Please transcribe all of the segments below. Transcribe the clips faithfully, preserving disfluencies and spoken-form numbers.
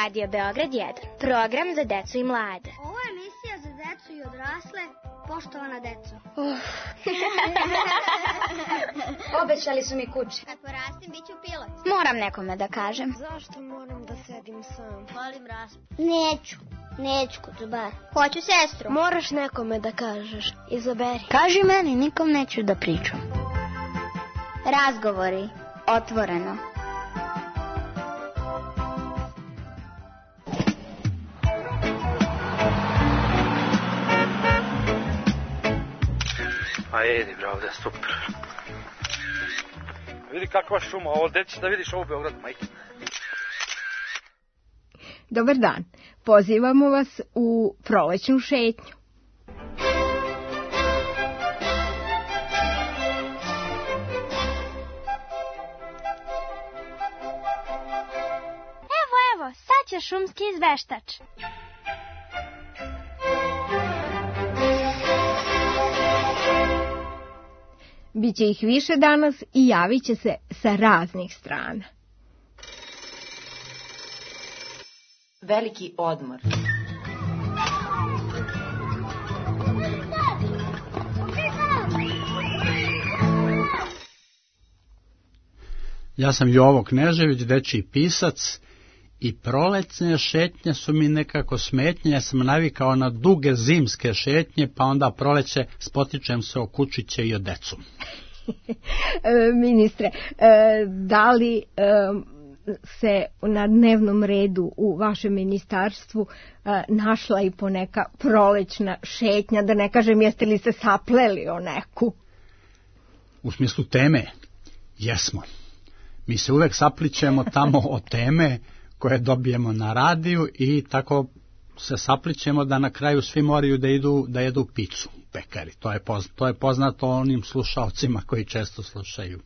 Radio Beograd jedan, program za decu i mlade. Ovo je emisija za decu i odrasle, poštovana deco. Uh. Obećali su mi kuće. Kad porastim, bit ću pilot. Moram nekome da kažem. Zašto moram da sedim sam? Volim raspu. Neću, neću kod zubara. Hoću sestru. Moraš nekome da kažeš, izaberi. Kaži meni, nikom neću da pričam. Razgovori, otvoreno. A jedi, bre, ovdje je super. Vidi kakva šuma, ovo gdje ćeš da vidiš ovo u Beogradu, majke. Dobar dan, pozivamo vas u prolećnu šetnju. Evo, evo, sad će šumski izveštač. Biće ih više danas i javit će se sa raznih strana. Veliki odmor. Ja sam Jovo Knežević, dečiji pisac, i prolećne šetnje su mi nekako smetnje. Ja sam navikao na duge zimske šetnje, pa onda proleće spotičem se o kučiće i o decu. Ministre, da li se na dnevnom redu u vašem ministarstvu našla i po neka prolećna šetnja, da ne kažem jeste li se sapleli o neku? U smislu teme, jesmo. Mi se uvek saplićemo tamo o teme koje dobijemo na radiju i tako se saplićemo da na kraju svi moraju da idu da jedu picu u pekari. To je poznato, to je poznato onim slušaocima koji često slušaju.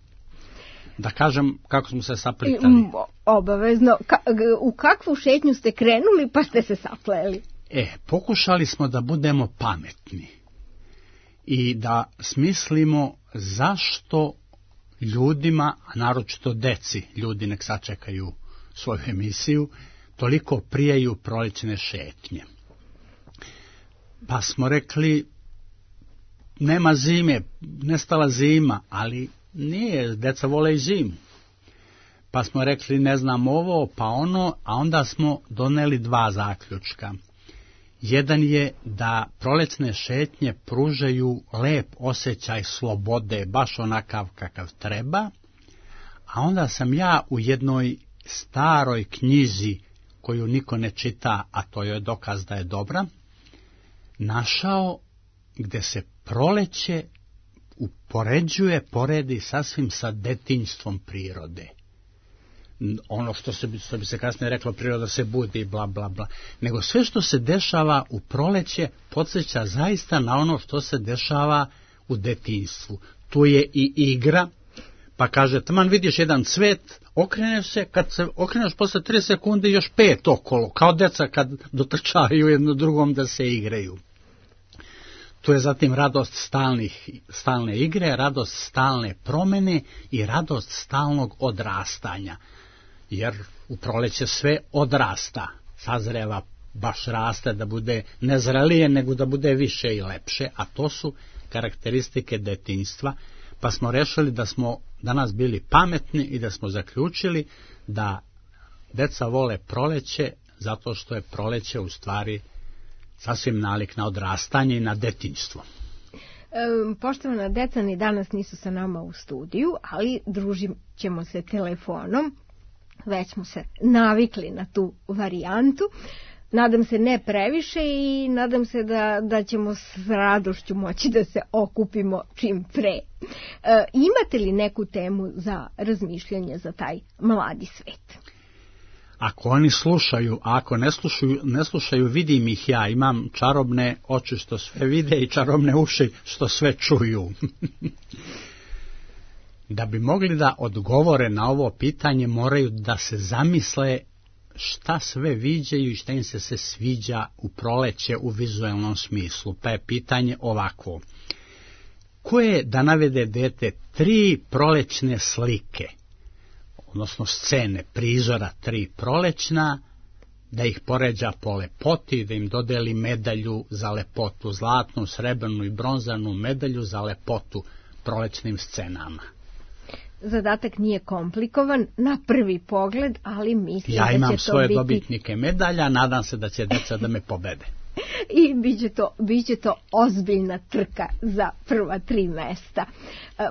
Da kažem kako smo se saplitali. Obavezno. Ka, u kakvu šetnju ste krenuli pa ste se sapleli? E, pokušali smo da budemo pametni i da smislimo zašto ljudima, a naročito deci, ljudi nek sačekaju svoju emisiju, toliko prijaju prolećne šetnje. Pa smo rekli, nema zime, nestala zima, ali nije, deca vole i zimu. Pa smo rekli, ne znam ovo, pa ono, a onda smo doneli dva zaključka. Jedan je da prolećne šetnje pružaju lep osjećaj slobode, baš onakav kakav treba, a onda sam ja u jednoj staroj knjizi, koju niko ne čita, a to je dokaz da je dobra, našao gde se proleće upoređuje, poredi sasvim sa detinjstvom prirode. Ono što se, što bi se kasnije reklo, priroda se budi, bla, bla, bla. Nego sve što se dešava u proleće podsjeća zaista na ono što se dešava u detinjstvu. Tu je i igra, pa kaže, taman vidiš jedan cvet, okreneš se, kad se okreneš posle tri sekunde još pet okolo, kao deca kad dotrčavaju jedno drugom da se igraju. Tu je zatim radost stalnih, stalne igre, radost stalne promene i radost stalnog odrastanja. Jer u proleće sve odrasta, sazreva, baš raste, da bude ne zrelije, nego da bude više i lepše, a to su karakteristike detinjstva. Pa smo rešili da smo danas bili pametni i da smo zaključili da deca vole proleće zato što je proleće u stvari sasvim nalik na odrastanje i na detinjstvo. E, poštovana deca, ni danas nisu sa nama u studiju, ali družit ćemo se telefonom. Već smo se navikli na tu varijantu. Nadam se ne previše i nadam se da, da ćemo s radošću moći da se okupimo čim pre. E, imate li neku temu za razmišljanje za taj mladi svet? Ako oni slušaju, a ako ne slušaju, ne slušaju, vidim ih ja. Imam čarobne oči što sve vide i čarobne uši što sve čuju. Da bi mogli da odgovore na ovo pitanje, moraju da se zamisle šta sve viđaju i šta im se se sviđa u proleće u vizualnom smislu. Pa je pitanje ovako. Koje, da navede dete, tri prolećne slike, odnosno scene, prizora tri prolećna, da ih poređa po lepoti, da im dodeli medalju za lepotu, zlatnu, srebrnu i bronzanu medalju za lepotu prolećnim scenama. Zadatak nije komplikovan na prvi pogled, ali mislim ja da će to biti... Ja imam svoje dobitnike medalja, nadam se da će deca da me pobede. I biće to, biće to ozbiljna trka za prva tri mesta.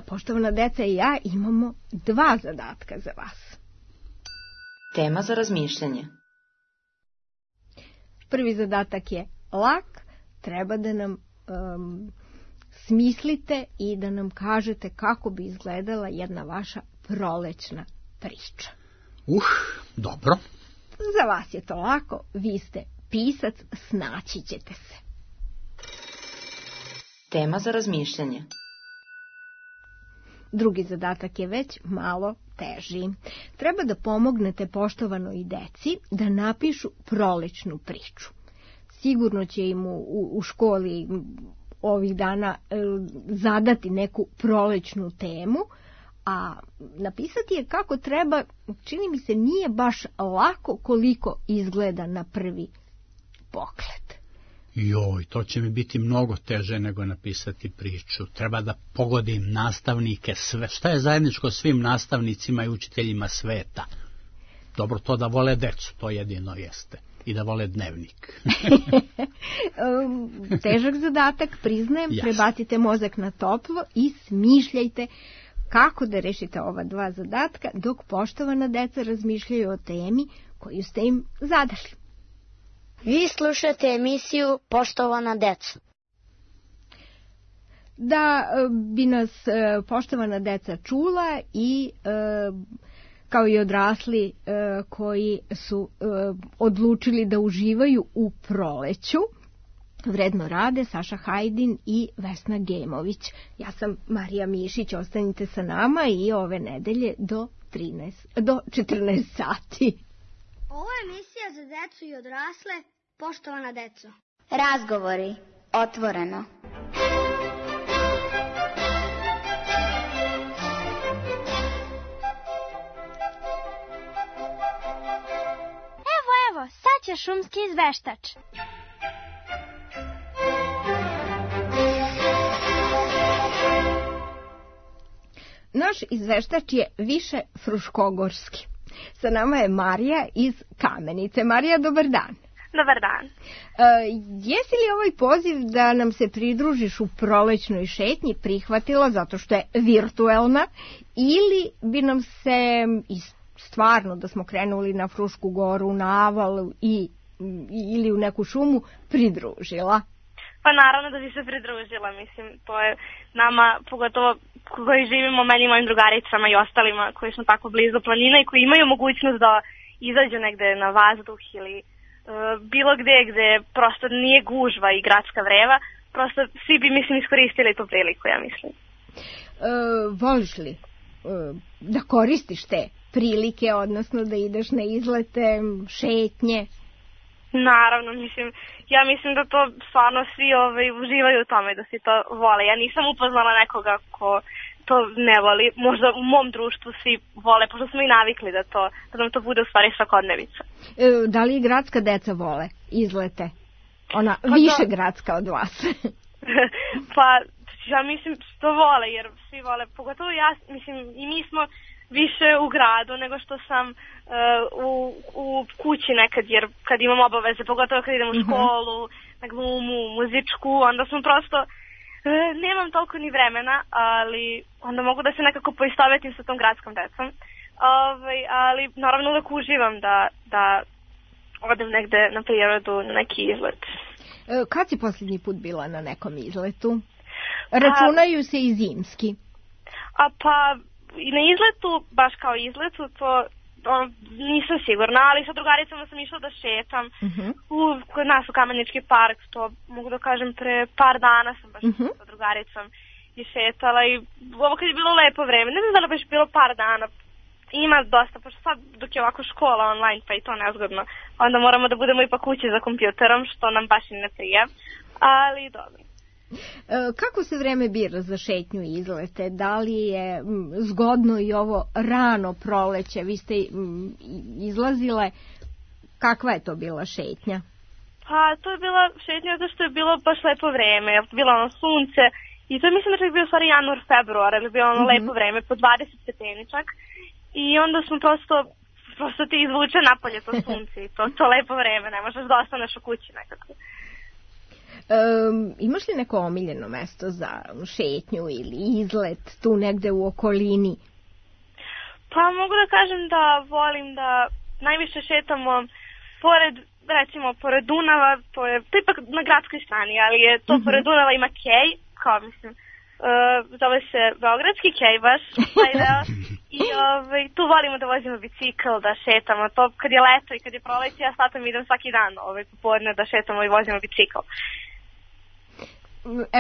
Poštovana deca i ja imamo dva zadatka za vas. Tema za razmišljanje. Prvi zadatak je lak, treba da nam um, smislite i da nam kažete kako bi izgledala jedna vaša prolećna priča. Uh, dobro. Za vas je to lako, vi ste pisac, snaći ćete se. Tema za razmišljanje. Drugi zadatak je već malo teži. Treba da pomognete poštovanoj deci da napišu prolećnu priču. Sigurno će im u, u školi ovih dana e, zadati neku prolećnu temu, a napisati je kako treba, čini mi se, nije baš lako koliko izgleda na prvi pogled. Joj, to će mi biti mnogo teže nego napisati priču. Treba da pogodim nastavnike sve. Šta je zajedničko svim nastavnicima i učiteljima sveta? Dobro, to da vole decu, to jedino jeste. I da vole dnevnik. Težak zadatak, priznajem, Jasne. Prebacite mozak na toplo i smišljajte kako da rešite ova dva zadatka dok poštovana deca razmišljaju o temi koju ste im zadali. Vi slušate emisiju Poštovana deca. Da bi nas poštovana deca čula i kao i odrasli koji su odlučili da uživaju u proleću, vredno rade Saša Hajdin i Vesna Gemović. Ja sam Marija Mišić, ostanite sa nama i ove nedelje do, trinaest, do četrnaest sati. Ovo je emisija za decu i odrasle, Poštovana deco. Razgovori, otvoreno. Evo, evo, sad će šumski izveštač. Naš izveštač je više fruškogorski. Sa nama je Marija iz Kamenice. Marija, dobar dan. Dobar dan. E, jesi li ovaj poziv da nam se pridružiš u prolećnoj šetnji prihvatila zato što je virtuelna ili bi nam se stvarno da smo krenuli na Frušku goru, na Aval i, ili u neku šumu pridružila? Pa naravno da bi se pridružila, mislim, to je nama, pogotovo koji živimo, meni i mojim drugaricama i ostalima koji smo tako blizu planina i koji imaju mogućnost da izađu negde na vazduh ili uh, bilo gde gde prosto nije gužva i gradska vreva, prosto svi bi, mislim, iskoristili tu priliku, ja mislim. Uh, voliš li uh, da koristiš te prilike, odnosno da ideš na izlete, šetnje? Naravno, mislim, ja mislim da to stvarno svi ovaj, uživaju u tome, da si to vole. Ja nisam upoznala nekoga ko to ne voli. Možda u mom društvu svi vole, pošto smo i navikli da, to, da nam to bude u stvari svakodnevica. E, da li gradska deca vole izlete? Ona pa više da... gradska od vas. Pa, ja mislim što vole, jer svi vole, pogotovo ja, mislim, i mi smo više u gradu nego što sam uh, u, u kući nekad, jer kad imam obaveze, pogotovo kad idem u školu, na glumu, muzičku, onda sam prosto, uh, nemam toliko ni vremena, ali onda mogu da se nekako poistovetim sa tom gradskom decom. Ovaj, ali naravno uvek uživam da, da odem negde na prirodu, na neki izlet. Uh, kad si posljednji put bila na nekom izletu? Računaju A, se i zimski. A pa... I na izletu, baš kao izletu, to on, nisam sigurna, ali sa drugaricama sam išla da šetam. Uh-huh. U, kod nas u Kamenički park, to mogu da kažem pre par dana sam baš uh-huh. sa drugaricom i šetala i ovo kad je bilo lepo vreme, ne znam da li baš bilo par dana, ima dosta, pošto sad dok je ovako škola online pa i to nezgodno, onda moramo da budemo ipak kući za kompjuterom, što nam baš i ne prija, ali dobro. Kako se vreme bira za šetnju i izlete? Da li je zgodno i ovo rano proleće? Vi ste izlazile Kakva je to bila šetnja? Pa to je bila šetnja zato što je bilo baš lepo vreme, bilo ono sunce i to je mislim da je bio stvari januar, februar, ali bilo ono mm-hmm. lepo vreme, po dvadeset stepeni čak i onda smo prosto, prosto ti izvuče napolje to sunce i to, to lepo vreme, ne možeš da ostaneš u kući nekako. Um, imaš li neko omiljeno mesto za šetnju ili izlet tu negde u okolini? Pa mogu da kažem da volim da najviše šetamo pored, recimo, pored Dunava, to je, to je ipak na gradskoj strani, ali je to mm-hmm. pored Dunava ima kej, kao mislim, uh, zove se Beogradski kej baš, taj deo, i ovaj, tu volimo da vozimo bicikl, da šetamo, to kad je leto i kad je proleće, ja s tatom idem svaki dan ovaj, popodne da šetamo i vozimo bicikl.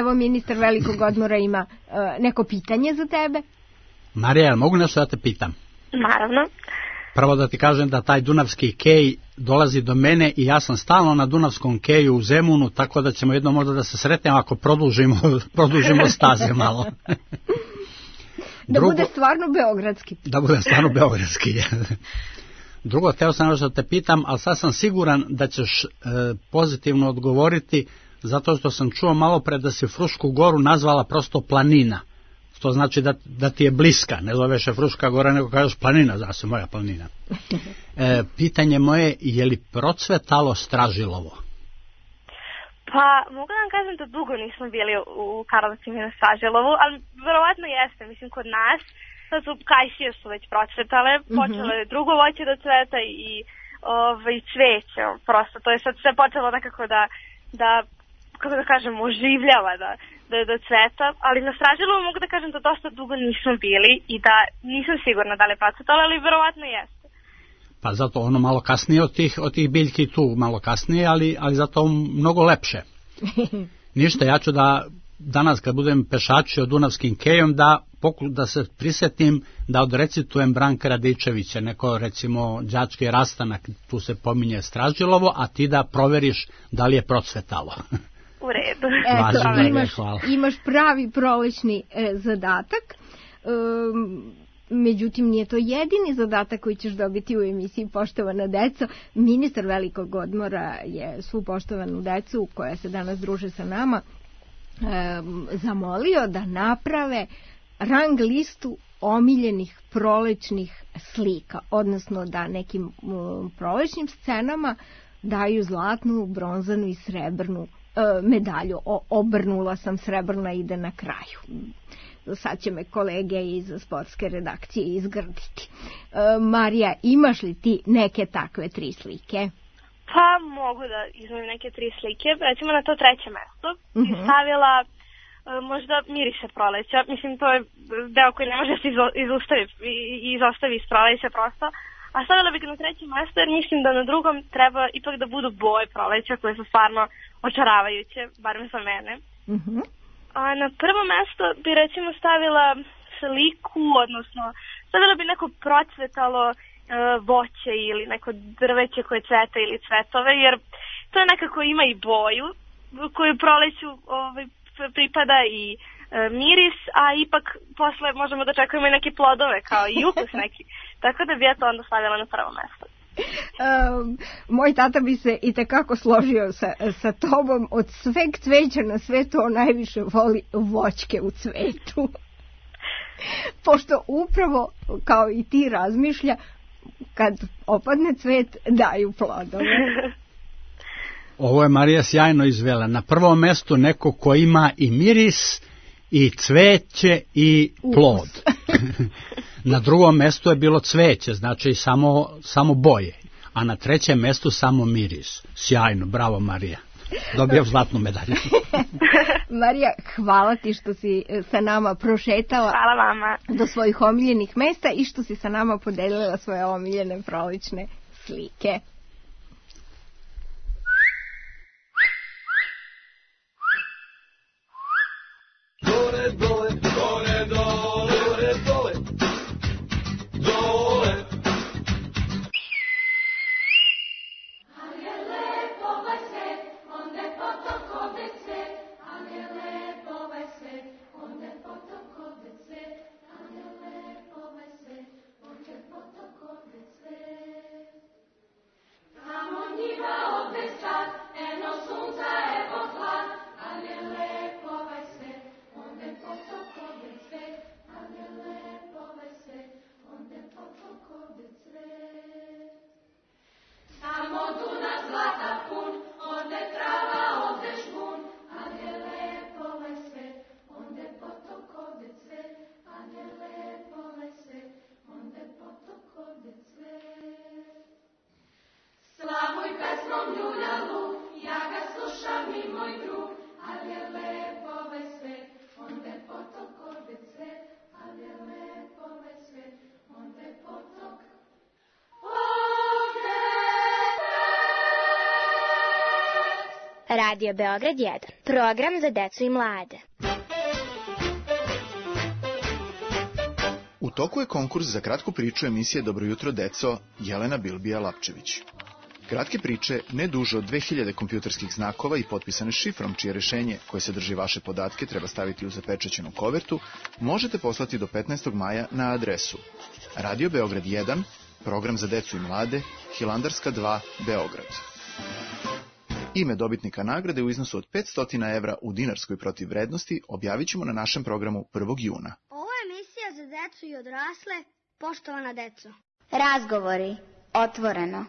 Evo, ministar velikog odmora ima uh, neko pitanje za tebe. Marija, mogu nešto da te pitam? Naravno. Prvo da ti kažem da taj dunavski kej dolazi do mene i ja sam stalno na dunavskom keju u Zemunu, tako da ćemo jedno možda da se sretnemo ako produžimo, produžimo staze malo. Da Drugo, bude stvarno beogradski. Da bude stvarno beogradski. Drugo, teo sam nešto da te pitam, ali sad sam siguran da ćeš e, pozitivno odgovoriti, zato što sam čuo malo pre da si Frušku goru nazvala prosto planina. To znači da, da ti je bliska, ne zoveš je Fruška gora, nego kažeš planina, zna se moja planina. E, pitanje moje, je li procvetalo Stražilovo? Pa, mogu da vam kažem da dugo nismo bili u Karlovcima i na Stražilovu, ali verovatno jeste, mislim, kod nas, sad su kajsije su već procvetale, mm-hmm. počelo je drugo voće da cveta i ovaj, cveće, prosto, to je sad sve počelo nekako da, da kako da kažem, oživljava, da, da, da cveta, ali na Stražilovu mogu da kažem da dosta dugo nismo bili i da nisam sigurna da li je procvetalo, ali verovatno jeste. Pa zato ono malo kasnije od tih, od tih biljki tu, malo kasnije, ali, ali zato mnogo lepše. Ništa, ja ću da danas kad budem pešačio Dunavskim kejom da, poku, da se prisetim da odrecitujem Branka Radičevića, neko recimo đački rastanak, tu se pominje Stražilovo, a ti da proveriš da li je procvetalo. U redu. Eto, Važi, imaš, imaš pravi prolećni e, zadatak. E, međutim, nije to jedini zadatak koji ćeš dobiti u emisiji Poštovana deco. Ministar velikog odmora je svu poštovanu decu koja se danas druže sa nama e, zamolio da naprave rang listu omiljenih prolećnih slika, odnosno da nekim um, prolećnim scenama daju zlatnu, bronzanu i srebrnu medalju. O, obrnula sam, srebrna ide na kraju. Sad će me kolege iz sportske redakcije izgrditi. E, Marija, imaš li ti neke takve tri slike? Pa mogu da izmem neke tri slike. Recimo na to treće mesto uh-huh. stavila e, možda mirise proleća. Mislim, to je deo koji ne može se izostavi, izostavi iz proleća prosto. A stavila bih ga na treće mesto jer mislim da na drugom treba ipak da budu boje proleća koje su stvarno očaravajuće, barem za mene. Uh-huh. A na prvo mesto bi recimo stavila sliku, odnosno stavila bi neko procvetalo e, voće ili neko drveće koje cveta ili cvetove, jer to je nekako ima i boju koju proleću ovaj, pripada i e, miris, a ipak posle možemo da čekujemo i neke plodove kao i ukus neki. Tako da bi ja to onda stavila na prvo mesto. Um, moj tata bi se i tekako složio sa, sa tobom. Od sveg cveća na svetu on najviše voli voćke u cvetu. Pošto upravo kao i ti razmišlja, kad opadne cvet daju plodove. Ovo je Marija sjajno izvela. Na prvom mestu neko ko ima i miris i cveće i plod. Na drugom mestu je bilo cveće, znači samo, samo boje, a na trećem mestu samo miris. Sjajno, bravo Marija. Dobijam zlatnu medalju. Marija, hvala ti što si sa nama prošetala hvala vama. Do svojih omiljenih mesta i što si sa nama podelila svoje omiljene prolećne slike. Dole, dole, dole, dole, dole, dole. Radio Beograd jedan. Program za decu i mlade. U toku je konkurs za kratku priču emisije Dobro jutro deco Jelena Bilbija-Lapčević. Kratke priče, ne duže od dve hiljade kompjuterskih znakova i potpisane šifrom, čije rešenje, koje sadrži vaše podatke, treba staviti u zapečaćenu kovertu, možete poslati do petnaestog maja na adresu Radio Beograd jedan, program za decu i mlade, Hilandarska dva, Beograd. Ime dobitnika nagrade u iznosu od petsto evra u dinarskoj protivvrednosti objavit ćemo na našem programu prvog juna. Ovo je emisija za decu i odrasle, poštovana deco. Razgovori. Otvoreno.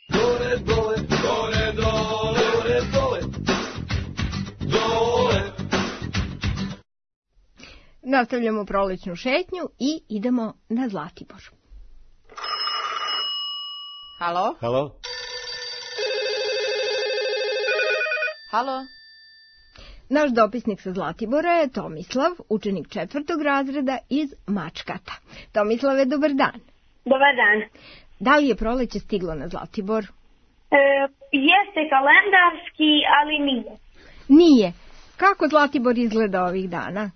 Dole, dole, dole, dole, dole, dole. Nastavljamo prolećnu šetnju i idemo na Zlatibor. Halo? Halo? Halo? Naš dopisnik sa Zlatibora je Tomislav, učenik četvrtog razreda iz Mačkata. Tomislave, dobar dan. Dobar dan. Da li je proleće stiglo na Zlatibor? E, jeste kalendarski, ali nije. Nije. Kako Zlatibor izgleda ovih dana?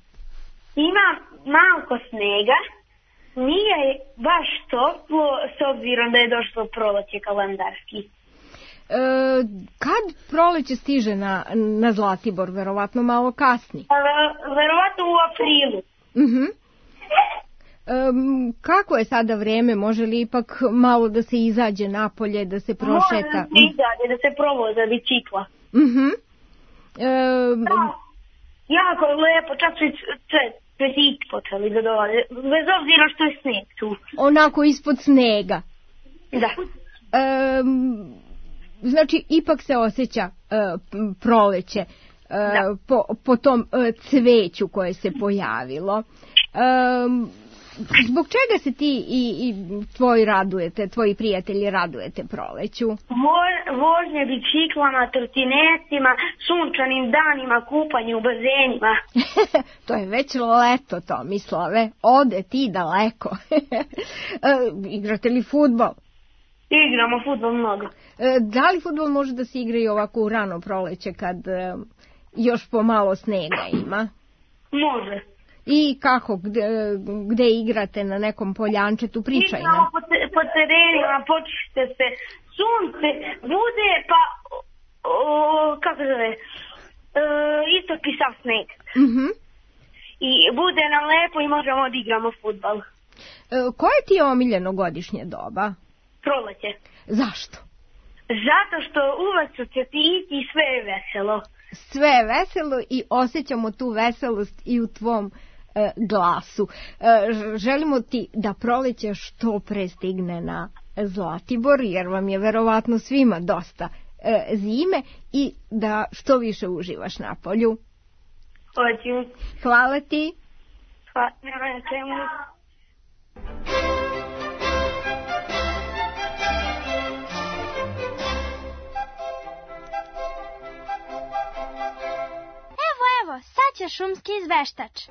Ima malko snega, nije baš toplo s obzirom da je došlo proleće kalendarski. E, kad proleće stiže na, na Zlatibor? Verovatno malo kasni. E, verovatno u aprilu. Mhm. Um, kako je sada vreme? Može li ipak malo da se izađe napolje, da se prošeta? Može da se izađe, da se provoza bicikla. Mhm. Um, da, jako lepo, čak su cvetići počeli da dolaze, bez obzira što je sneg tu. Onako ispod snega. Da. Um, znači, ipak se osjeća uh, proleće uh, po, po tom uh, cveću koje se pojavilo. Um, Zbog čega se ti i, i tvoji radujete, tvoji prijatelji radujete proleću? Vožnje biciklama, trotinecima, sunčanim danima, kupanje u bazenima. To je već leto, Tomislave. Ode ti daleko. Igrate li fudbal? Igramo fudbal mnogo. Da li fudbal može da se igra i ovako u rano proleće kad još pomalo snega ima? Može. I kako, gde, gde igrate, na nekom poljančetu, pričaj nam. Igramo po, te, po terenima, počiste se, sunce, bude pa, o, kako zove, e, isto pisav sneg. Mhm. I bude nam lepo i možemo da igramo fudbal. E, koje ti je omiljeno godišnje doba? Proleće. Zašto? Zato što uvek su cvetići i sve je veselo. Sve je veselo i osjećamo tu veselost i u tvom e, glasu. E, želimo ti da proleće što pre stigne na Zlatibor, jer vam je verovatno svima dosta e, zime, i da što više uživaš na polju. Hoću. Hvala ti. Hvala, nema čemu. Evo, sad će šumski izveštač.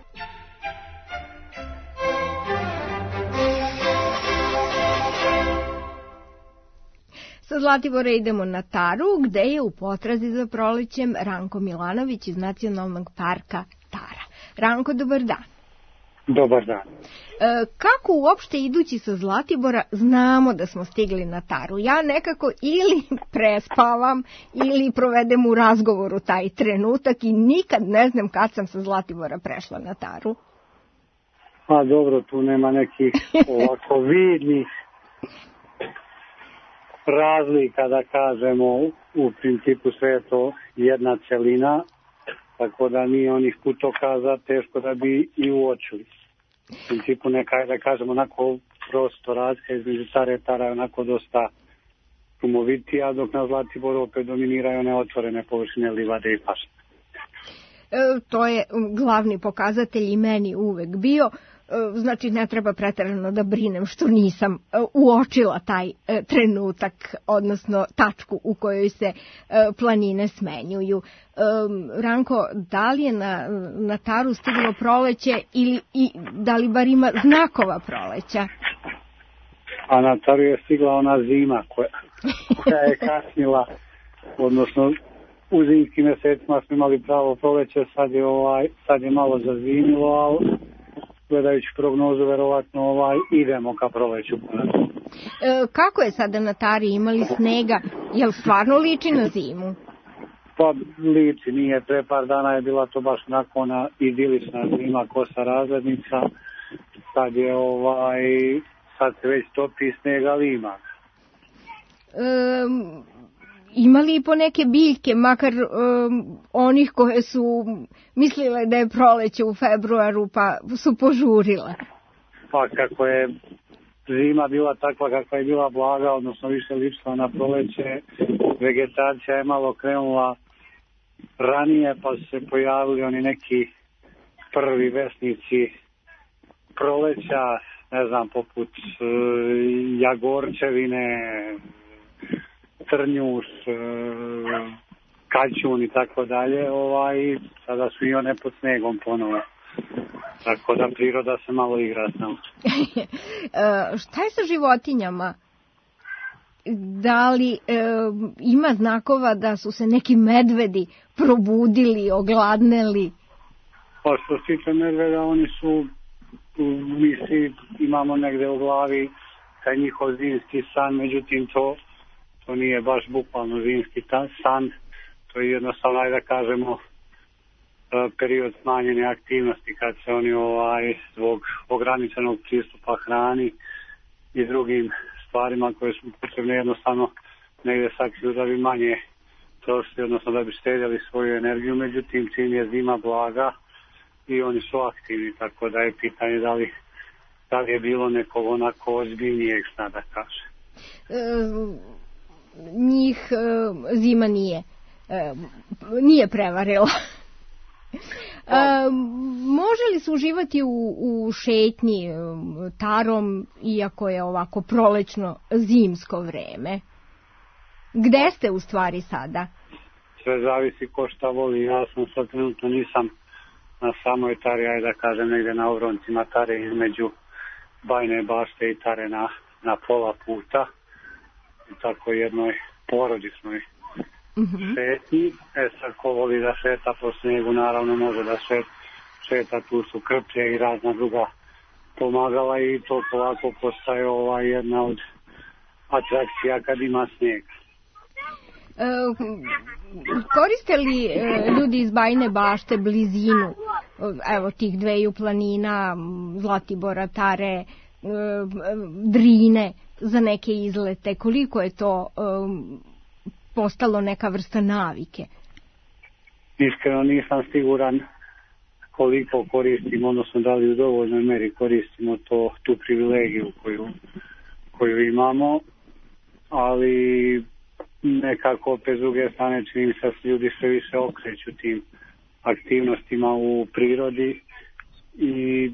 Sa Zlatibora idemo na Taru, gde je u potrazi za prolećem Ranko Milanović iz Nacionalnog parka Tara. Ranko, dobar dan. Dobar dan. E, kako uopšte idući sa Zlatibora znamo da smo stigli na Taru? Ja nekako ili prespavam ili provedem u razgovoru taj trenutak i nikad ne znam kad sam sa Zlatibora prešla na Taru. A dobro, tu nema nekih ovako vidnih razlika, da kažemo. U principu sve je to jedna celina, tako da nije onih putokaza teško da bi i uočili. U principu neka, da kažemo, onako prosto razlika između Tare i Tara je onako dosta šumovitija, dok na Zlatiboru opet dominiraju one otvorene površine, livade i pašnjake. E, to je glavni pokazatelj i meni uvek bio. Znači, ne treba preterano da brinem što nisam uočila taj trenutak, odnosno tačku u kojoj se planine smenjuju. Ranko, da li je na, na Taru stiglo proleće ili i da li bar ima znakova proleća? a na Taru je stigla ona zima koja, koja je kasnila, odnosno u zimskim mjesecima smo imali pravo proleće, sad je, ovaj, sad je malo zazimilo, ali gledajući prognozu, verovatno ovaj, idemo ka proleću. E, kako je sada na Tari, imali snega, jel stvarno liči na zimu? Pa liči, nije, pre par dana je bila to baš onako ona idilična zima, kosa razglednica, sad je ovaj, sad se već topi sneg, ali ima. E, imali i po neke biljke, makar um, onih koje su mislile da je proleće u februaru, pa su požurile? Pa kako je zima bila takva kakva je bila blaga, odnosno više ličila na proleće, vegetacija je malo krenula ranije, pa su se pojavili oni neki prvi vesnici proleća, ne znam, poput e, jagorčevine, trnjuš, e, kaćun i tako dalje, ovaj, sada su i one pod snegom ponovo. Tako da priroda se malo igra s nama. e, šta je sa životinjama? Da li e, ima znakova da su se neki medvedi probudili, ogladneli? Pa što se tiče medveda, oni su, mi svi imamo negde u glavi taj njihov zimski san, međutim to, to nije baš bukvalno zimski san, to je jednostavno, ajde da kažemo, period smanjene aktivnosti kad se oni ovaj, zbog ograničenog pristupa hrani i drugim stvarima koje su potrebne jednostavno negde sakriju da bi manje trošili, odnosno da bi štedjeli svoju energiju, međutim čim je zima blaga i oni su aktivni, tako da je pitanje da li, da li je bilo nekog onako ozbiljnijeg sna da kaže. E, njih e, zima nije, e, nije prevarila. E, može li se uživati u, u šetnji Tarom, iako je ovako prolećno zimsko vreme? Gde ste u stvari sada? Sve zavisi ko šta voli. Ja sam sad trenutno nisam na samoj Tari, ajde da kažem negde na obroncima Tare između Bajne Bašte i Tare na, na pola puta. U tako jednoj porodičnoj mm-hmm. šetnji. E sad ko voli da šeta po snegu, naravno može da šeta, šeta, tu su krplje i razna druga pomagala i to polako postaje ova jedna od atrakcija kad ima snega. E, koriste li e, ljudi iz Bajne Bašte blizinu evo tih dveju planina, Zlatibora, Tare, e, Drine za neke izlete? Koliko je to e, postalo neka vrsta navike? Iskreno nisam siguran koliko koristimo, odnosno da li u dovoljnoj meri koristimo to, tu privilegiju koju, koju imamo, ali nekako opet s druge strane čini se da ljudi sve više okreću tim aktivnostima u prirodi i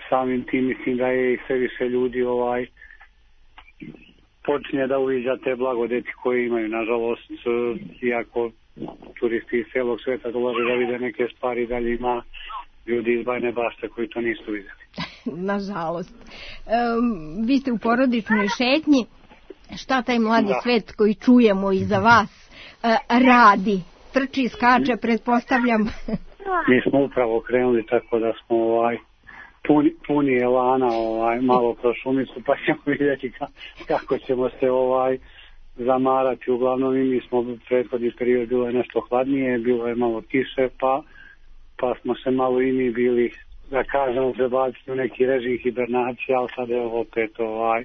samim tim mislim da je i sve više ljudi ovaj počinje da uviđa te blagodeti koje imaju. Nažalost, iako turisti iz celog sveta dolaze da vide neke stvari, dalje ima ljudi iz Bajne Bašte koji to nisu vidjeli. Nažalost. Um, vi ste u porodičnoj šetnji. Šta taj mladi da. svet koji čujemo iza vas uh, radi? Trči, skače, pretpostavljam. Mi smo upravo krenuli tako da smo ovaj, puni, puni elana ovaj, malo kroz šumicu, pa ćemo vidjeti ka, kako ćemo se ovaj zamarati. Uglavnom i mi smo prethodni period bilo je nešto hladnije, bilo je malo kiše, pa, pa smo se malo i mi bili, da kažemo, prebaciti u neki režim hibernacije, ali sad je opet ovaj,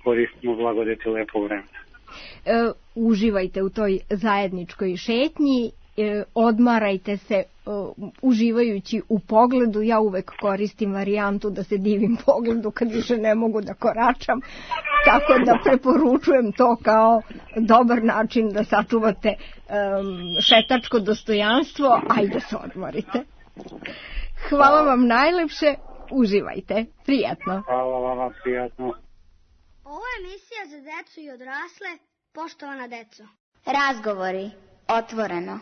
koristimo blagodeti lepog vremena. E, uživajte u toj zajedničkoj šetnji, e, odmarajte se e, uživajući u pogledu. Ja uvek koristim varijantu da se divim pogledu kad više ne mogu da koračam, tako da preporučujem to kao dobar način da sačuvate e, šetačko dostojanstvo. Ajde se odmorite. Hvala vam najlepše, uživajte, prijatno. Hvala vam, prijatno. Ovo je emisija za decu i odrasle, poštovana deco. Razgovori, otvoreno.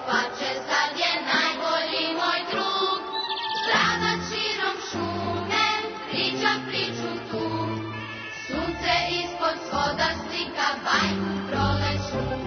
pače, sad je najbolji moj drug. Strada širom šume, priča priču tu. Sunce ispod svoda slika bajku prolećnu.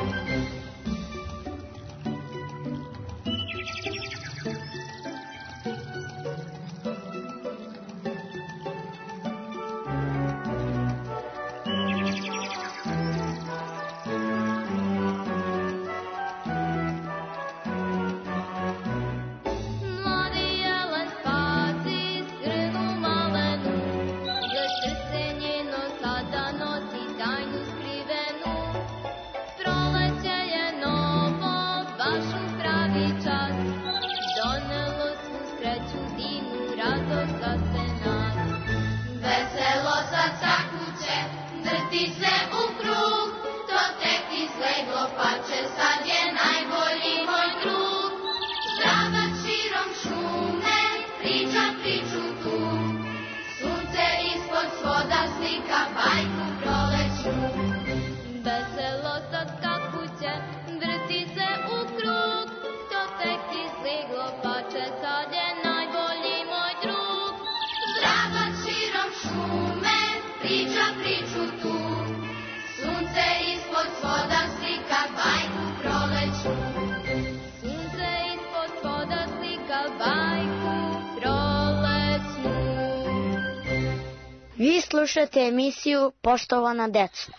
Vi slušate emisiju Poštovana deco.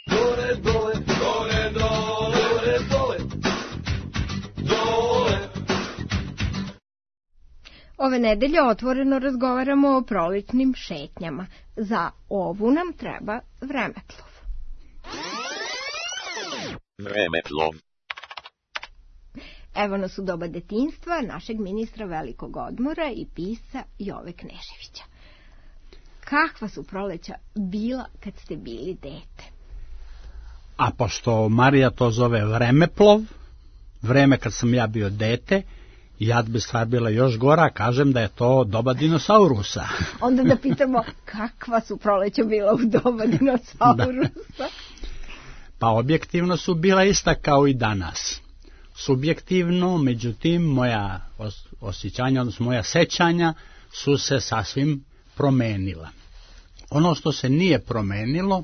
Dole, dole, dole, dole, dole, dole. Ove nedelje otvoreno razgovaramo o prolećnim šetnjama. Za ovu nam treba vremeplov. Vremeplov. Evo nas u doba detinjstva našeg ministra velikog odmora i pisca Jove Kneževića. Kakva su proleća bila kad ste bili dete? A pošto Marija to zove vremeplov, vreme kad sam ja bio dete, jad bi stvar bila još gora, kažem da je to doba dinosaurusa. Onda da pitamo kakva su proleća bila u doba dinosaurusa? Da. Pa objektivno su bila ista kao i danas. Subjektivno, međutim, moja osjećanja, odnosno moja sećanja su se sasvim promenila. Ono što se nije promenilo,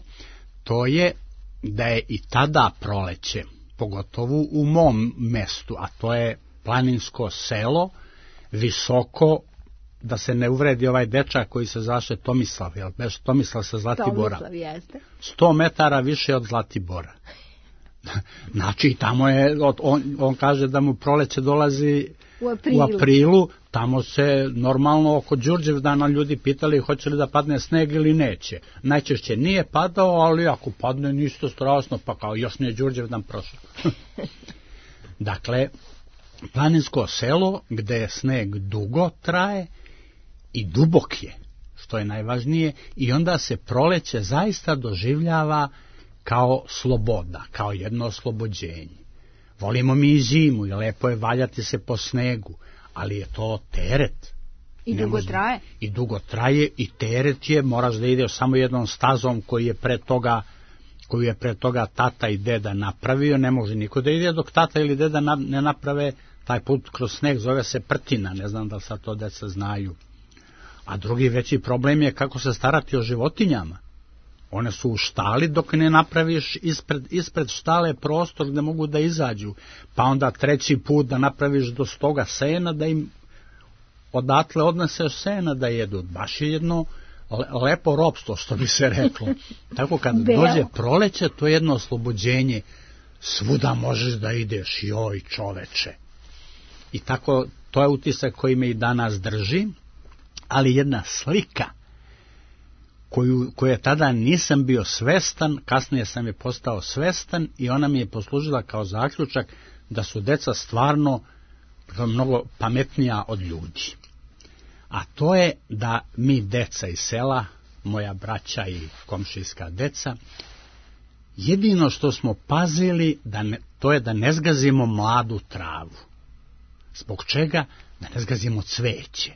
to je da je i tada proleće, pogotovo u mom mestu, a to je planinsko selo, visoko, da se ne uvredi ovaj dečak koji se zvaše Tomislav, jel beš Tomislav sa Zlatibora. Tomislav jeste. Sto metara više od Zlatibora. Znači, tamo je, on, on kaže da mu proleće dolazi u aprilu. u aprilu, tamo se normalno oko Đurđevdana ljudi pitali hoće li da padne sneg ili neće. Najčešće nije padao, ali ako padne nisto strašno, pa kao još nije Đurđevdan prošao. Dakle, planinsko selo gde sneg dugo traje i dubok je, što je najvažnije, i onda se proleće zaista doživljava kao sloboda, kao jedno oslobođenje. Volimo mi i zimu i lepo je valjati se po snegu, ali je to teret. I dugo traje. I dugo traje i teret je, moraš da ideš samo jednom stazom koji je pre toga koju je pre toga tata i deda napravio, ne može niko da ide dok tata ili deda ne naprave taj put kroz sneg, zove se prtina, ne znam da li sad to deca znaju. A drugi veći problem je kako se starati o životinjama. One su u štali dok ne napraviš ispred, ispred štale prostor gde mogu da izađu, pa onda treći put da napraviš do stoga sena, da im odatle odneseš sena da jedu. Baš je jedno lepo ropstvo, što bi se reklo. Tako kad dođe proleće, to je jedno oslobođenje. Svuda možeš da ideš, joj čoveče. I tako, to je utisak koji me i danas drži, ali jedna slika koju, koju tada nisam bio svestan, kasnije sam je postao svestan i ona mi je poslužila kao zaključak da su deca stvarno mnogo pametnija od ljudi. A to je da mi deca iz sela, moja braća i komšijska deca, jedino što smo pazili, da ne, to je da ne zgazimo mladu travu. Zbog čega? Da ne zgazimo cveće,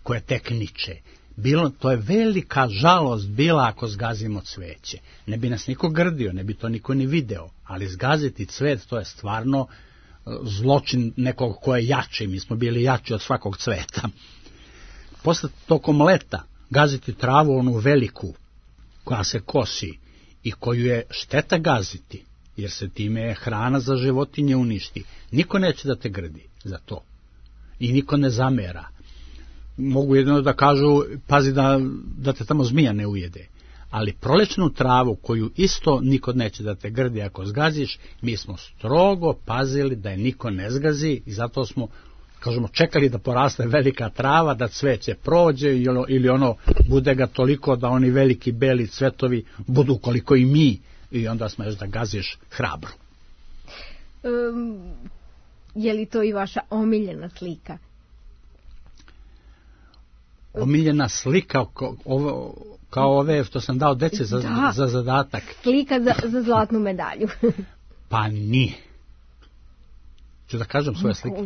koje tek niče. Bilo, to je velika žalost bila ako zgazimo cveće. Ne bi nas niko grdio, ne bi to niko ni video, ali zgaziti cvet, to je stvarno zločin nekog ko je jači. Mi smo bili jači od svakog cveta. Posle tokom leta gaziti travu, onu veliku, koja se kosi i koju je šteta gaziti, jer se time hrana za životinje uništi. Niko neće da te grdi za to. I niko ne zamera. Mogu jedino da kažu, pazi da, da te tamo zmija ne ujede. Ali prolećnu travu, koju isto niko neće da te grdi ako zgaziš, mi smo strogo pazili da je niko ne zgazi i zato smo, kažemo, čekali da poraste velika trava, da cveće prođe ili ono bude ga toliko da oni veliki beli cvetovi budu koliko i mi i onda smeš da gaziš hrabro. Um, je li to i vaša omiljena slika? Omiljena slika kao, ovo, kao ove što sam dao deci za, da, za zadatak. Slika za, za zlatnu medalju. Pa nije. Ću da kažem svoje slike.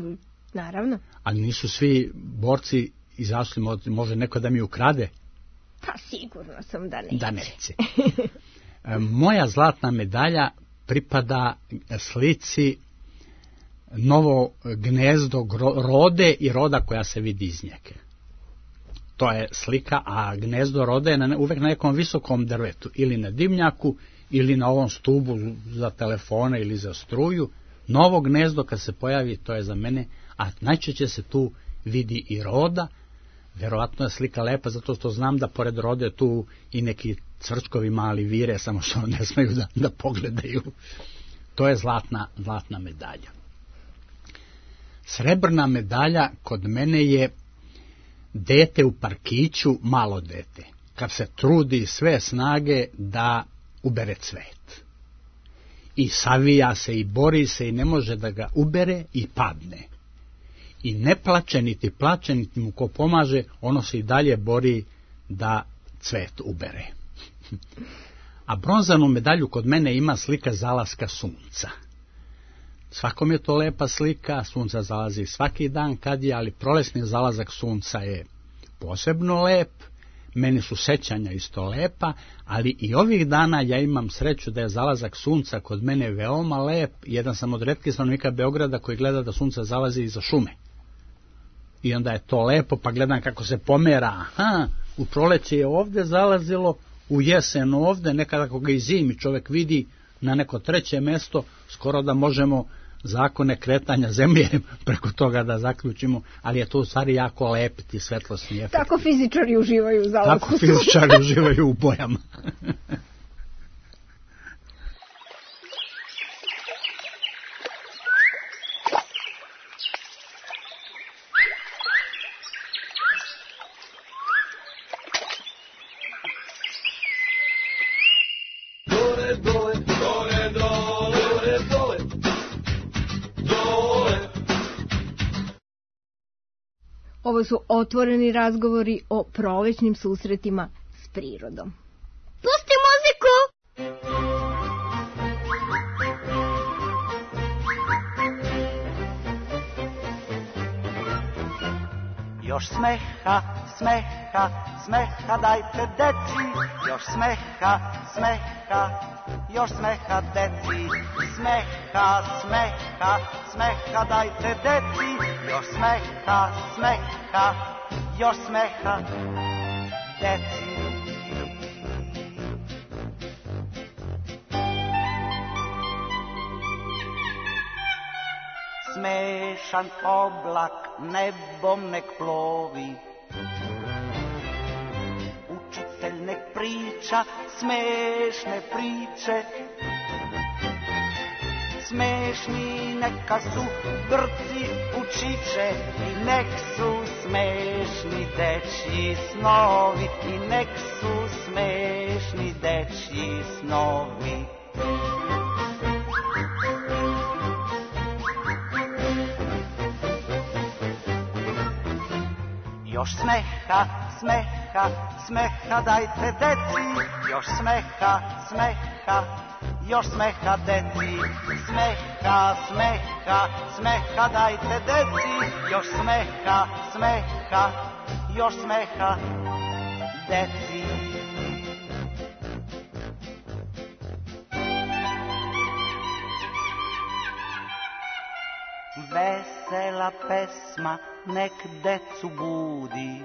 Naravno. Ali nisu svi borci izašli, može neko da mi ukrade? Pa sigurno sam da neće. Da neće. Moja zlatna medalja pripada slici novo gnezdo rode i roda koja se vidi iz njega. To je slika, a gnezdo rode je na, uvek na nekom visokom drvetu, ili na dimnjaku, ili na ovom stubu za telefone ili za struju. Novo gnezdo kad se pojavi, to je za mene, a najčešće se tu vidi i roda. Verovatno je slika lepa, zato što znam da pored rode tu i neki cvrčkovi mali vire, samo što ne smeju da, da pogledaju. To je zlatna, zlatna medalja. Srebrna medalja kod mene je dete u parkiću, malo dete, kad se trudi sve snage da ubere cvet. I savija se i bori se i ne može da ga ubere i padne. I ne plače, niti plače, niti mu ko pomaže, ono se i dalje bori da cvet ubere. A bronzanu medalju kod mene ima slika zalaska sunca. Svakom je to lepa slika, sunca zalazi svaki dan kad je, ali prolesni zalazak sunca je posebno lep, meni su sećanja isto lepa, ali i ovih dana ja imam sreću da je zalazak sunca kod mene veoma lep. Jedan sam od retkih stanovnika Beograda koji gleda da sunce zalazi iza šume. I onda je to lepo, pa gledam kako se pomera. Aha, u proleće je ovde zalazilo, u jesen ovde, nekada ako ga i zimi čovek vidi na neko treće mesto, skoro da možemo zakone kretanja zemlje preko toga da zaključimo, ali je to u stvari jako lep ti svetlosni efekt. Tako fizičari uživaju u zalasku. Tako fizičari uživaju u bojama. Ovo su otvoreni razgovori o prolećnim susretima s prirodom. Pusti muziku! Još smeha, smeha, smeha dajte deci, još smeha, smeha, još smeha deci, smeha, smeha, smeha dajte deci, još smeha, smeha, još smeha deci. Smešan oblak nebom nek plovi, učitelj nek priča smešne priče, smešni neka su grci učiće i nek su smešni dečji snovi, i nek su smešni dečji snovi. Još smeha, smeha, smeha dajte deci, još smeha, smeha, još smeha deci, smeha, smeha, smeha dajte deci, još smeha, smeha, još smeha deci. Vesela pesma nek decu budi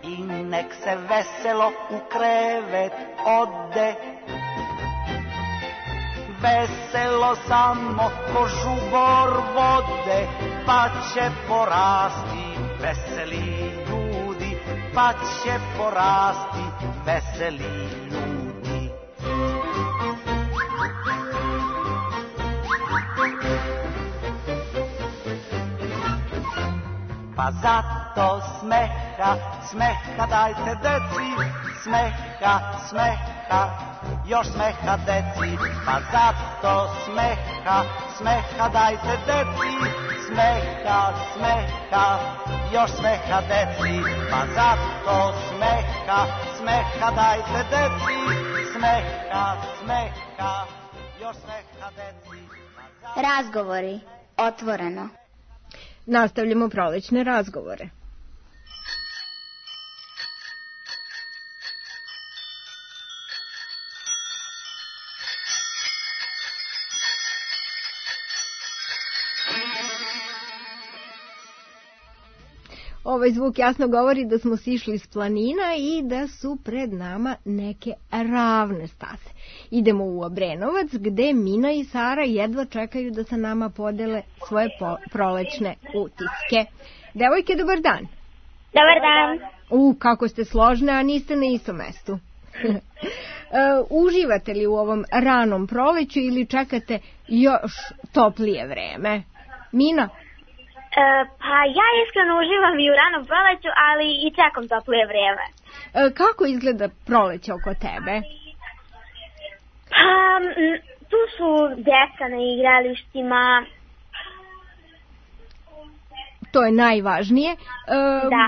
i nek se veselo u krevet ode. Veselo samo ko žubor vode, pa će porasti veseli ljudi, pa će porasti veseli ljudi. Pa zato smeha, smeha dajte deci, smeha, smeha, još smeha deci. Pa zato smeha, smeha dajte deci, smeha, smeha, još smeha deci. Pa zato smeha, smeha dajte deci, smeha, smeha, još smeha deci. Razgovori, otvoreno. Nastavljamo prolećne razgovore. Ovaj zvuk jasno govori da smo sišli s planina i da su pred nama neke ravne staze. Idemo u Obrenovac gde Mina i Sara jedva čekaju da sa nama podele svoje po- prolećne utiske. Devojke, dobar dan. Dobar dan. U, kako ste složne, a niste na istom mestu. uh, uživate li u ovom ranom proleću ili čekate još toplije vreme? Mina? E, pa ja iskreno uživam i u ranom proleću, ali i čekam toplije vreme. E, kako izgleda proleće oko tebe? Pa, m, tu su deca na igralištima. To je najvažnije. E, da.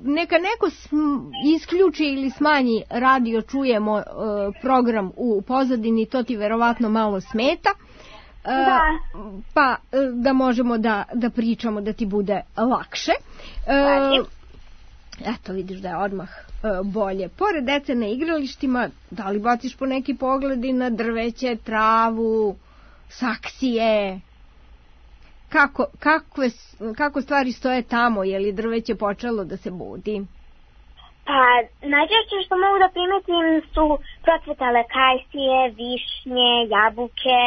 Neka neko sm- isključi ili smanji radio, čujemo e, program u pozadini, to ti verovatno malo smeta. Da. Pa da možemo da, da pričamo da ti bude lakše. E, eto vidiš da je odmah e, bolje. Pored dece na igralištima, da li baciš po neki pogledi na drveće, travu, saksije? Kako, kakve, kako stvari stoje tamo? Je li drveće počelo da se budi? Pa najčešće što mogu da primetim su procvetale kajsije, višnje, jabuke.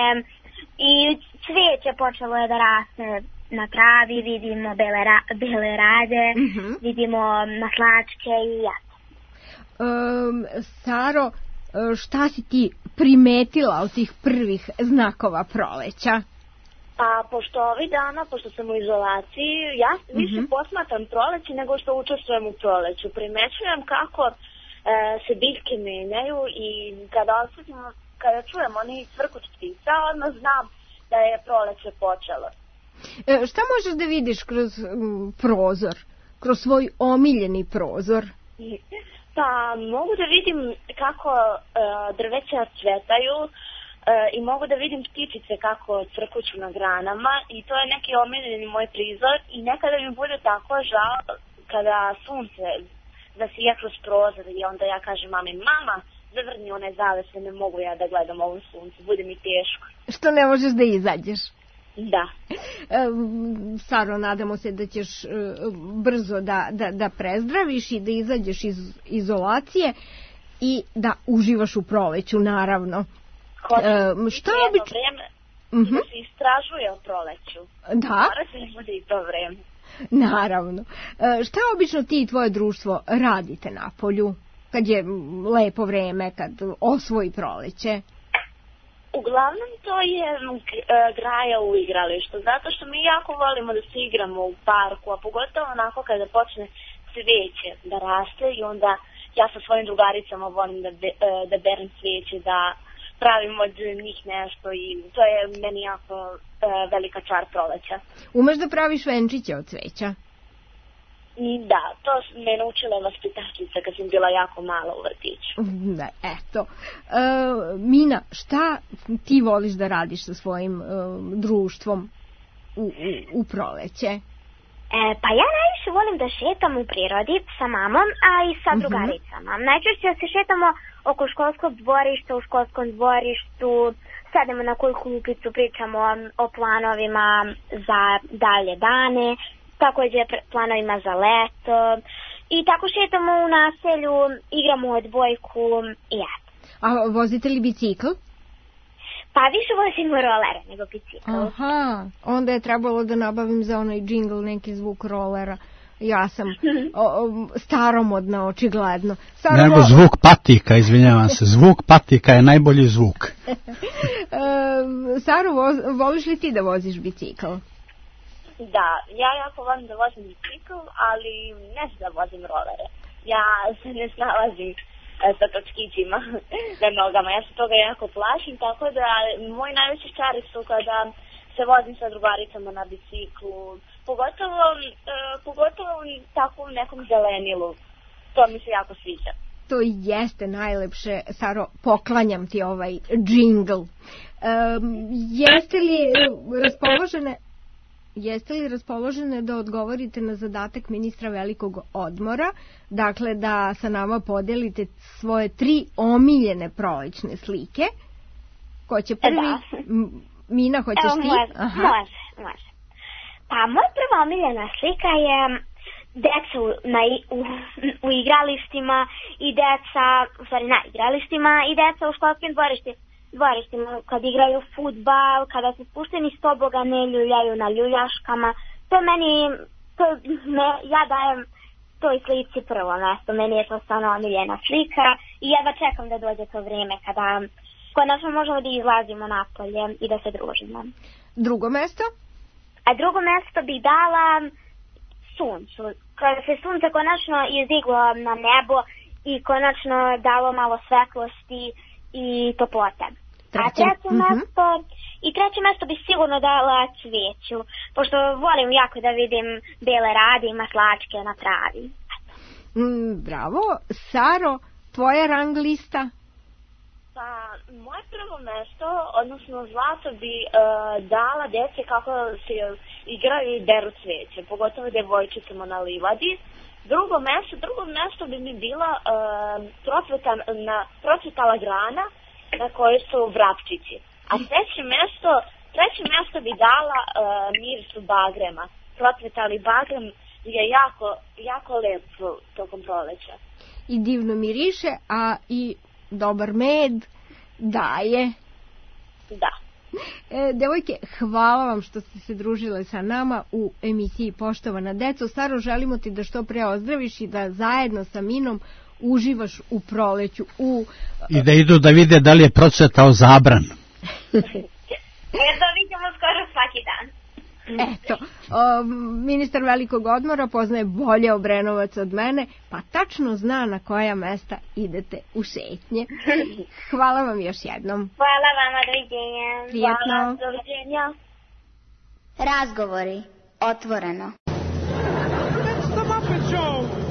I cvijeće počelo je da raste na travi, vidimo bele, ra, bele rade, mm-hmm. vidimo maslačke i jato. Um, Saro, šta si ti primetila od tih prvih znakova proleća? Pa, pošto ovih dana, pošto sam u izolaciji, ja više mm-hmm. posmatram proleće nego što učestvujem u proleću. Primećujem kako e, se biljke menjaju i kada osjetim kada čujem oni cvrkuć ptica, odmah znam da je proleće počelo. E, šta možeš da vidiš kroz m, prozor, kroz svoj omiljeni prozor? Pa mogu da vidim kako e, drveća cvetaju e, i mogu da vidim ptičice kako cvrkuću na granama i to je neki omiljeni moj prizor i nekada mi bude tako žao kada sunce zasija kroz prozor i onda ja kažem mami, mama, zavrni one zavese, ne mogu ja da gledam ovom suncu, bude mi teško. Što ne možeš da izađeš? Da. E, Saro, nadamo se da ćeš e, brzo da, da, da prezdraviš i da izađeš iz izolacije i da uživaš u proleću, naravno. E, što obično vreme mm-hmm. da se istražuje o proleću. Da. Mora se ne bude i to vreme. Naravno. E, šta obično ti i tvoje društvo radite na polju? Kad je lepo vreme, kad osvoji proleće? Uglavnom to je graja u igralištu, zato što mi jako volimo da se igramo u parku, a pogotovo onako kada počne cvijeće da raste i onda ja sa svojim drugaricama volim da, be, da berem cvijeće, da pravim od njih nešto i to je meni jako velika čar proleća. Umeš da praviš venčiće od cvijeća? Da, to me naučila vaspitačica kad sam bila jako mala u vrtiću. Da, eto. E, Mina, šta ti voliš da radiš sa svojim e, društvom u, u, u proleće? E, pa ja najviše volim da šetam u prirodi sa mamom, a i sa uh-huh. drugaricama. Najčešće se šetamo oko školskog dvorišta, u školskom dvorištu, sedemo na koju klupicu, pričamo o planovima za dalje dane, također planovima za leto i tako šetamo u naselju, igramo odbojku i eto. A vozite li bicikl? Pa više vozimo rolere nego bicikl. Aha, onda je trebalo da nabavim za onaj džingl neki zvuk rolera. Ja sam o, o, staromodna, očigledno. Staro... Nego zvuk patika, izvinjavam se. Zvuk patika je najbolji zvuk. e, Saro, voz, voliš li ti da voziš bicikl? Da, ja jako volim da vozim bicikl, ali ne znam da vozim rolere. Ja se ne snalazim sa točkićima na nogama. Ja se toga jako plašim, tako da moji najveći čari su kada se vozim sa drugaricama na biciklu, pogotovo, uh, pogotovo tako u nekom zelenilu. To mi se jako sviđa. To jeste najlepše, Saro, poklanjam ti ovaj džingl. Um, jeste li raspoložene... Jeste li raspoložene da odgovorite na zadatak ministra velikog odmora, dakle da sa nama podelite svoje tri omiljene prolećne slike? Ko će prvi? Da. Mina, hoćeš Evo, ti? Može, Aha. može, može. Pa moja prva omiljena slika je deca u, na, u, u igralištima i deca, u stvari na igralištima i deca u školskim dvorištima. dvorištima, kad igraju fudbal, kada se spušteni s tobogane ljuljaju na ljuljaškama. To meni, to me, ja dajem toj slici prvo mesto. Meni je to stvarno omiljena slika i jedva čekam da dođe to vrijeme kada konačno možemo da izlazimo napolje i da se družimo. Drugo mesto? A drugo mesto bih dala suncu. Kada se sunce konačno izdiglo na nebo i konačno dalo malo svetlosti i toplote. A treće uh-huh. mesto, i treće mesto bi sigurno dala cvijeću, pošto volim jako da vidim bele rade i maslačke na travi. Mm, bravo. Saro, tvoja rang lista? Pa, moje prvo mesto, odnosno zlato bi uh, dala djece kako se igraju i deru cvijeće, pogotovo djevojčicama na livadi. Drugo mesto, drugo mesto bi mi bila uh, procveta, na, procvetala grana na kojoj su vrapčići. A treće mesto, treće mesto bi dala uh, mirisu bagrema. Procvetali bagrem je jako, jako lep tokom proleća. I divno miriše, a i dobar med daje. Da. E, devojke, hvala vam što ste se družile sa nama u emisiji Poštovana deco. Saro, želimo ti da što pre ozdraviš i da zajedno sa Minom uživaš u proleću. U... I da idu da vide da li je procvetao zabran. Jer da vidimo skoro svaki dan. Eto, o, ministar velikog odmora poznaje bolje Obrenovac od mene, pa tačno zna na koja mesta idete u šetnje. Hvala vam još jednom. Hvala vama, doviđenja. Prijatno. Hvala, doviđenja. Razgovori. Otvoreno. It's the Muppet Show.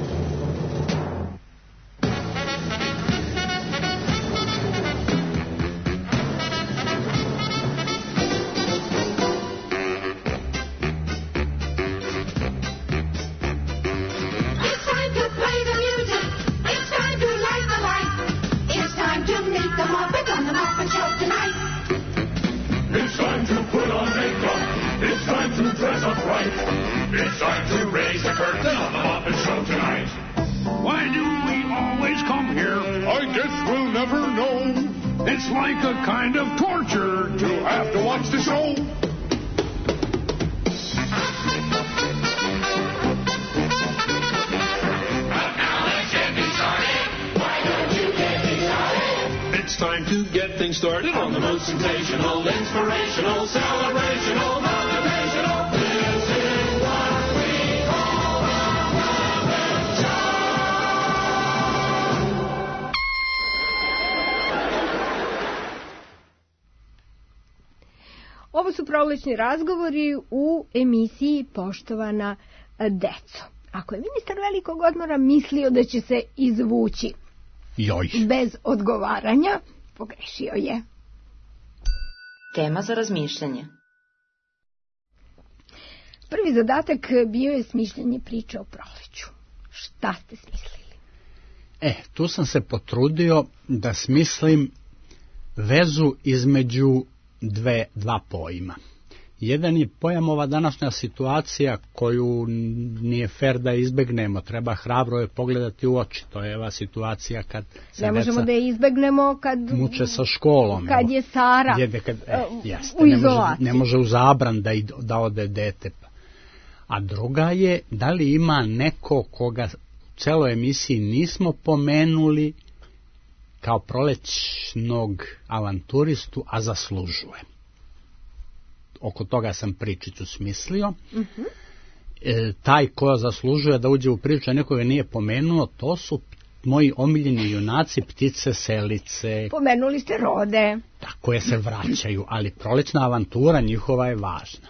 It's time to put on makeup. It's time to dress up right. It's time to raise the curtain on the Muppet Show tonight. Why do we always come here? I guess we'll never know. It's like a kind of torture To have to watch the show. It's time to get things started on the most sensational, inspirational, celebrational, motivational. This is what we call the Muppet Show. Ovo su prolećni razgovori u emisiji Poštovana deco. Ako je ministar velikog odmora mislio da će se izvući Joj. bez odgovaranja, pogrešio je. Tema za razmišljanje. Prvi zadatak bio je smišljanje priče o proleću. Šta ste smislili? E, tu sam se potrudio da smislim vezu između dve, dva pojma. Jedan je pojam ova današnja situacija koju nije fer da izbegnemo, treba hrabro je pogledati u oči. To je ova situacija kad se ne možemo da je izbegnemo kad muče sa školom. Kad je Sara djede, kad, e, jeste, u ne izolaciji. Može, ne može u zabran da, da ode dete. A druga je, da li ima neko koga u celoj emisiji nismo pomenuli kao prolećnog avanturistu, a zaslužuje. Oko toga sam pričicu smislio. Uh-huh. E, taj ko zaslužuje da uđe u priču, a nekoga nije pomenuo, to su moji omiljeni junaci, ptice selice. Pomenuli ste rode. Da, koje se vraćaju, ali prolećna avantura njihova je važna.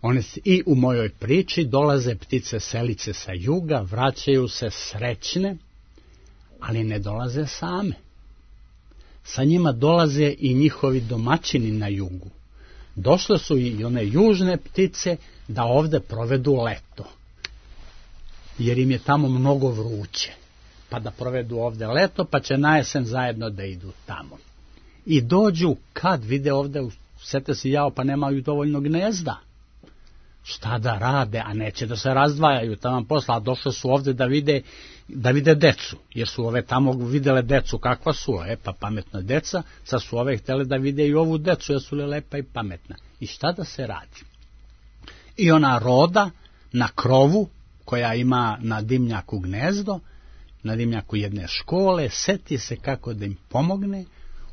One i u mojoj priči dolaze ptice selice sa juga, vraćaju se srećne, ali ne dolaze same. Sa njima dolaze i njihovi domaćini na jugu. Došle su i one južne ptice da ovde provedu leto, jer im je tamo mnogo vruće, pa da provedu ovde leto, pa će na jesen zajedno da idu tamo. I dođu kad vide ovde, sete se jao, pa nemaju dovoljno gnezda. Šta da rade, a neće da se razdvajaju tamo posla, a došle su ovde da vide, da vide decu, jer su ove tamo videle decu kakva su, e pa pametna deca, sad su ove htjele da vide i ovu decu, jer su li lepa i pametna. I šta da se radi? I ona roda na krovu, koja ima na dimnjaku gnezdo, na dimnjaku jedne škole, seti se kako da im pomogne,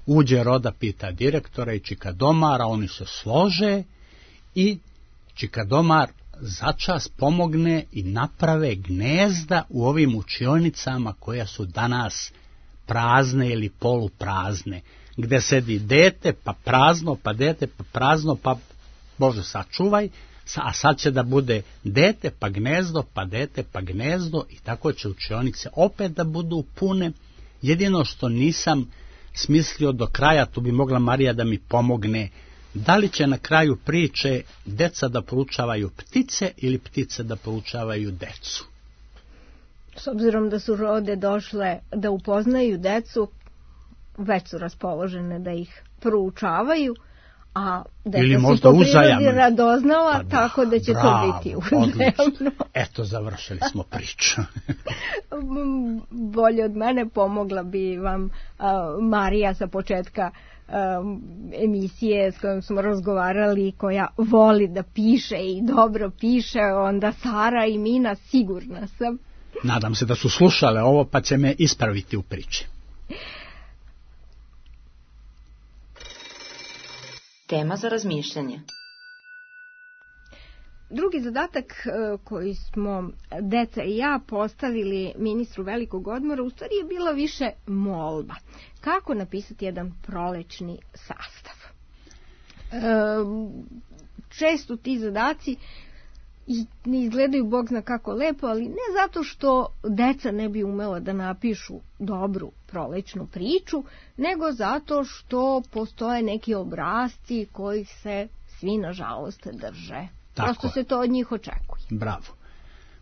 uđe roda, pita direktora i čikadomara, oni se slože i čikadomar začas pomogne i naprave gnezda u ovim učionicama koja su danas prazne ili poluprazne, gde sedi dete, pa prazno, pa dete, pa prazno, pa Bože sačuvaj, a sad će da bude dete, pa gnezdo, pa dete, pa gnezdo i tako će učionice opet da budu pune. Jedino što nisam smislio do kraja, tu bi mogla Marija da mi pomogne, da li će na kraju priče deca da proučavaju ptice ili ptice da proučavaju decu? S obzirom da su rode došle da upoznaju decu, već su raspoložene da ih proučavaju, a deca su po prirodi radoznala, pa da, tako da će bravo, to biti uzemno. Eto, završili smo priču. Bolje od mene pomogla bi vam a, Marija sa početka Um, emisije s kojom smo razgovarali, koja voli da piše i dobro piše, onda Sara i Mina, sigurna sam. Nadam se da su slušale ovo, pa će me ispraviti u priči. Tema za razmišljanje. Drugi zadatak koji smo deca i ja postavili ministru velikog odmora u stvari je bila više molba. Kako napisati jedan prolećni sastav? Često ti zadaci ne izgledaju bog zna kako lepo, ali ne zato što deca ne bi umela da napišu dobru prolećnu priču, nego zato što postoje neki obrasci kojih se svi nažalost drže. Tako. Prosto se to od njih očekuje. Bravo.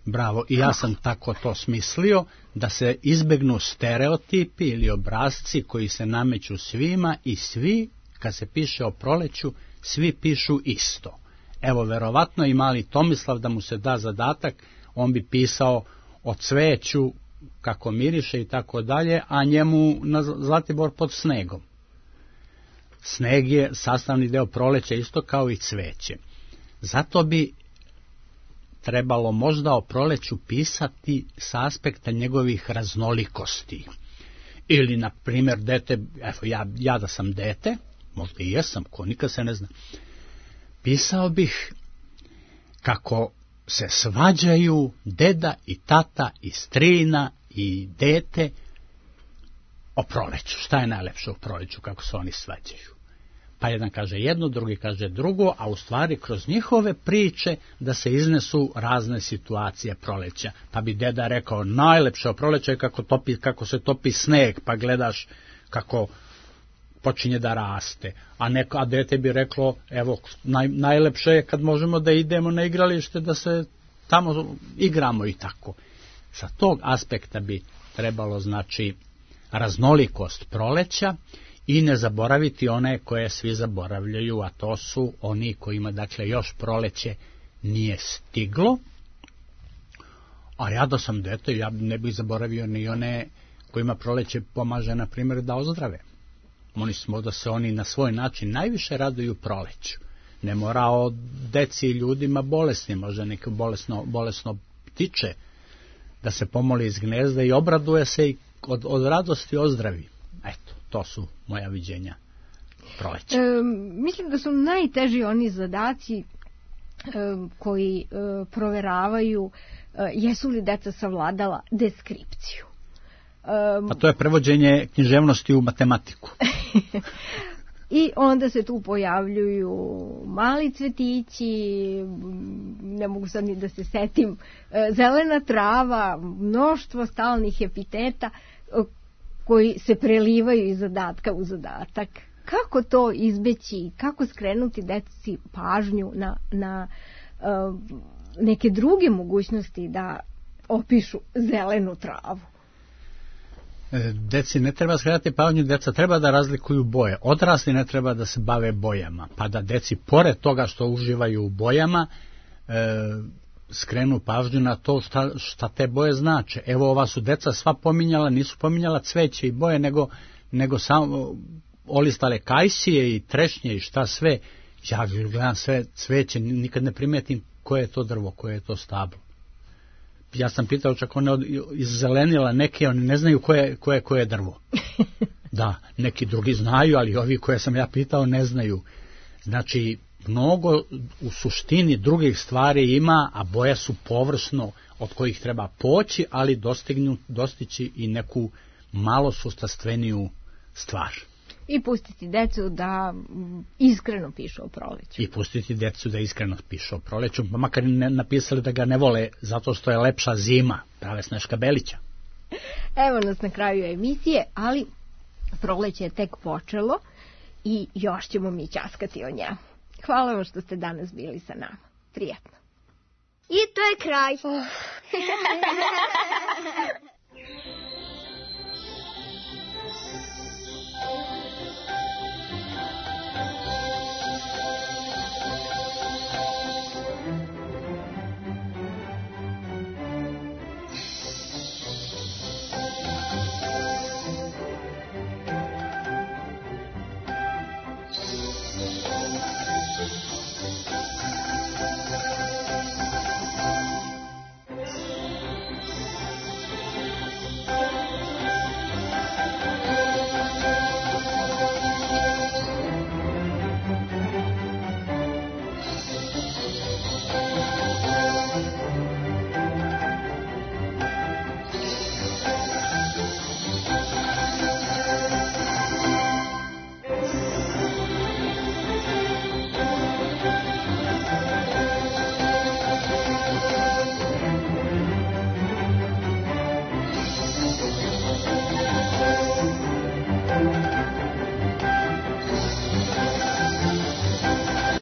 Bravo. I ja sam tako to smislio, da se izbegnu stereotipi ili obrazci koji se nameću svima i svi, kad se piše o proleću, svi pišu isto. Evo, verovatno i mali Tomislav da mu se da zadatak, on bi pisao o cveću, kako miriše i tako dalje, a njemu na Zlatibor pod snegom. Sneg je sastavni deo proleća isto kao i cveće. Zato bi trebalo možda o proleću pisati sa aspekta njegovih raznolikosti. Ili, na primjer, dete, evo, ja, ja da sam dete, možda i jesam, ko nikad se ne zna, pisao bih kako se svađaju deda i tata i strina i dete o proleću. Šta je najlepše u proleću, kako se oni svađaju? Pa jedan kaže jedno, drugi kaže drugo, a u stvari kroz njihove priče da se iznesu razne situacije proleća. Pa bi deda rekao, najlepše o proleća je kako, topi, kako se topi sneg, pa gledaš kako počinje da raste. A, neko, a dete bi reklo, evo, naj, najlepše je kad možemo da idemo na igralište, da se tamo igramo i tako. Sa tog aspekta bi trebalo, znači, raznolikost proleća i ne zaboraviti one koje svi zaboravljaju, a to su oni kojima, dakle, još proleće nije stiglo. A ja da sam dete, ja ne bih zaboravio ni one kojima proleće pomaže, na primjer, da ozdrave. Oni smo da se oni na svoj način najviše raduju proleću. Ne mora o deci i ljudima bolesni, može neko bolesno, bolesno ptiče da se pomoli iz gnezda i obraduje se i od, od radosti ozdravi. Eto, to su moja viđenja proleća. E, mislim da su najteži oni zadaci e, koji e, proveravaju e, jesu li deca savladala deskripciju. A to je prevođenje književnosti u matematiku. I onda se tu pojavljuju mali cvetići, ne mogu sad ni da se setim, zelena trava, mnoštvo stalnih epiteta koji se prelivaju iz zadatka u zadatak. Kako to izbeći, kako skrenuti deci pažnju na, na uh, neke druge mogućnosti da opišu zelenu travu? Deci ne treba skretati pažnju, deca treba da razlikuju boje. Odrasli ne treba da se bave bojama, pa da deci, pored toga što uživaju u bojama, e, skrenu pažnju na to šta, šta te boje znače. Evo, ova su deca sva pominjala, nisu pominjala cveće i boje, nego, nego samo olistale kajsije i trešnje i šta sve. Ja gledam sve cveće, nikad ne primetim koje je to drvo, koje je to stablo. Ja sam pitao, čak one izzelenila neke, oni ne znaju koje, koje, koje je drvo. Da, neki drugi znaju, ali ovi koje sam ja pitao ne znaju. Znači, mnogo u suštini drugih stvari ima, a boje su površno od kojih treba poći, ali dostignu, dostići i neku malo sustavstveniju stvar. I pustiti decu da iskreno pišu o proleću. I pustiti decu da iskreno pišu o proleću, pa makar ne napisali da ga ne vole zato što je lepša zima, prave Sneška Belića. Evo nas na kraju emisije, ali proleće je tek počelo i još ćemo mi ćaskati o njemu. Hvala vam što ste danas bili sa nama. Prijetno. I to je kraj.